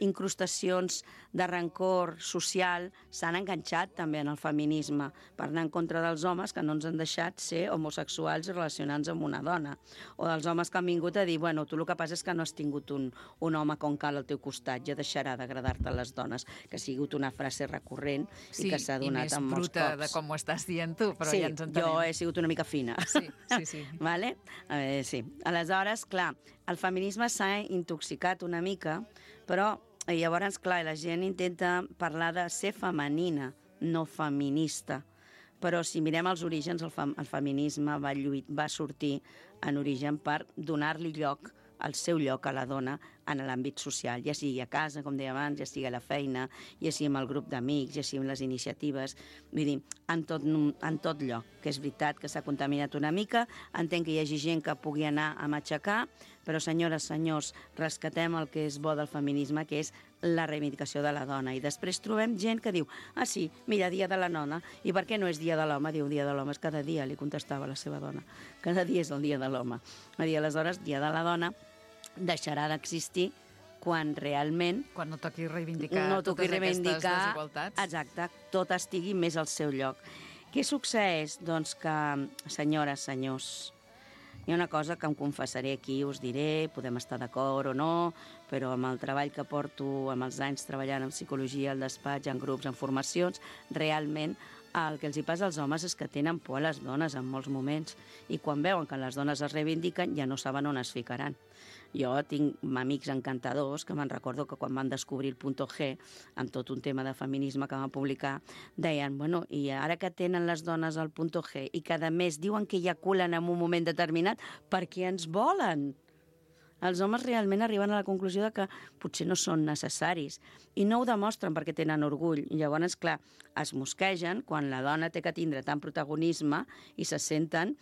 incrustacions de rancor social s'han enganxat també en el feminisme per anar en contra dels homes que no ens han deixat ser homosexuals i relacionar-nos amb una dona, o dels homes que han vingut a dir, bueno, tu el que passa és que no has tingut un home com cal al teu costat, ja deixarà d'agradar-te les dones, que ha sigut una frase recurrent i que s'ha donat en molts cops. Sí, i més bruta de com ho estàs dient tu, però ja ens entenem. Sí, jo he sigut una mica fina. Sí. Vale? Sí. Aleshores, clar, el feminisme s'ha intoxicat una mica, però llavors, clar, la gent intenta parlar de ser femenina, no feminista. Però si mirem els orígens, el feminisme va sortir en origen per donar-li lloc, el seu lloc a la dona en l'àmbit social, ja sigui a casa, com deia abans, ja sigui a la feina, ja sigui amb el grup d'amics, ja sigui amb les iniciatives, vull dir, en tot lloc, que és veritat que s'ha contaminat una mica, entenc que hi hagi gent que pugui anar a matxacar, però senyores, senyors, rescatem el que és bo del feminisme, que és la reivindicació de la dona. I després trobem gent que diu, sí, mira, dia de la dona, i per què no és dia de l'home? Diu, dia de l'home és cada dia, li contestava la seva dona. Cada dia és el dia de l'home. Aleshores, dia de la dona deixarà d'existir quan realment... Quan no toqui reivindicar totes aquestes desigualtats. Exacte, tot estigui més al seu lloc. Què succeeix? Doncs que, senyores, senyors, hi ha una cosa que em confessaré aquí, us diré, podem estar d'acord o no, però amb el treball que porto, amb els anys treballant en psicologia, al despatx, en grups, en formacions, realment el que els hi passa als homes és que tenen por a les dones en molts moments, i quan veuen que les dones es reivindiquen ja no saben on es ficaran. Jo tinc amics encantadors que me'n recordo que quan van descobrir el Punto G, amb tot un tema de feminisme que van publicar, deien, bueno, i ara que tenen les dones al Punto G i cada mes diuen que ejaculen en un moment determinat, per què ens volen? Els homes realment arriben a la conclusió de que potser no són necessaris i no ho demostren perquè tenen orgull. I llavors, clar, es mosquegen quan la dona té que tindre tant protagonisme i se senten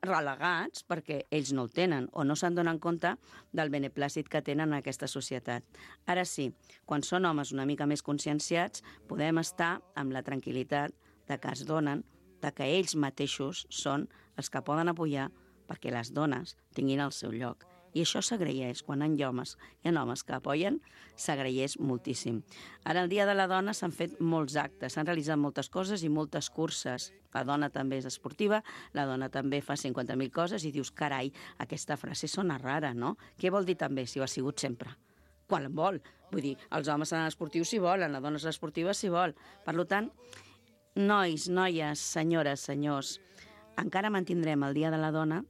relegats perquè ells no el tenen o no se'n donen compte del beneplàcit que tenen en aquesta societat. Ara sí, quan són homes una mica més conscienciats, podem estar amb la tranquil·litat de que es donen, de que ells mateixos són els que poden apoyar perquè les dones tinguin el seu lloc. I això s'agraeix. Quan hi ha homes que apoyen, s'agraeix moltíssim. Ara, el Dia de la Dona, s'han fet molts actes, s'han realitzat moltes coses i moltes curses. La dona també és esportiva, la dona també fa 50.000 coses i dius, carai, aquesta frase sona rara, no? Què vol dir també, si ho ha sigut sempre? Quan vol. Vull dir, els homes seran esportius si volen, la dona és esportiva si vol. Per tant, nois, noies, senyores, senyors, encara mantindrem el Dia de la Dona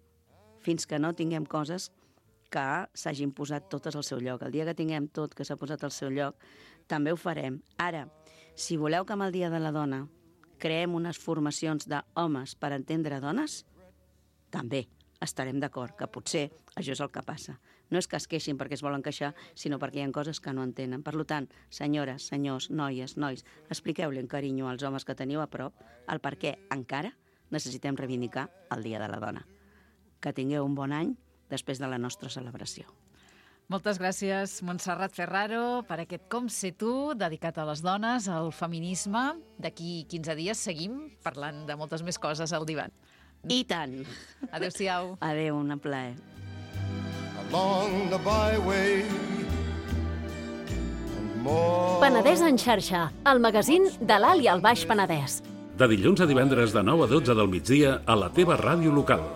fins que no tinguem coses que s'hagin posat totes al seu lloc. El dia que tinguem tot que s'ha posat al seu lloc, també ho farem. Ara, si voleu que amb el Dia de la Dona creem unes formacions d'homes per entendre dones, també estarem d'acord, que potser això és el que passa. No és que es queixin perquè es volen queixar, sinó perquè hi ha coses que no entenen. Per tant, senyores, senyors, noies, nois, expliqueu-li en carinyo als homes que teniu a prop el per què encara necessitem reivindicar el Dia de la Dona. Que tingueu un bon any després de la nostra celebració. Moltes gràcies, Montserrat Ferraro, per aquest Com sé tu, dedicat a les dones, al feminisme. D'aquí 15 dies seguim parlant de moltes més coses al divan. I tant! Adéu-siau. Adéu, un plaer. Along the byway and more. Penedès en xarxa, el magazín de l'Alt i el Baix Penedès. De dilluns a divendres de 9 a 12 del migdia a la teva ràdio local.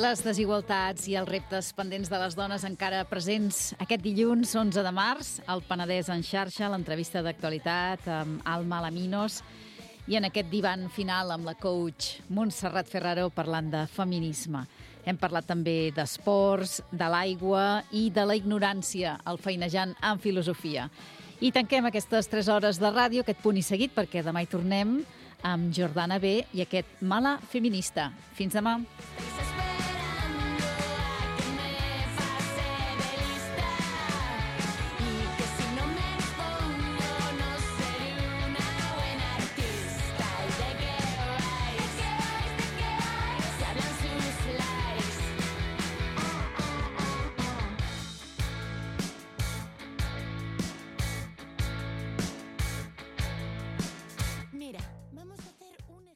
Les desigualtats i els reptes pendents de les dones encara presents aquest dilluns, 11 de març, al Penedès en xarxa, l'entrevista d'actualitat amb Alma Alaminos i en aquest divan final amb la coach Montserrat Ferraro parlant de feminisme. Hem parlat també d'esports, de l'aigua i de la ignorància, el feinejant en filosofia. I tanquem aquestes 3 hores de ràdio, aquest punt i seguit, perquè demà hi tornem amb Jordana B i aquest Mala Feminista. Fins demà.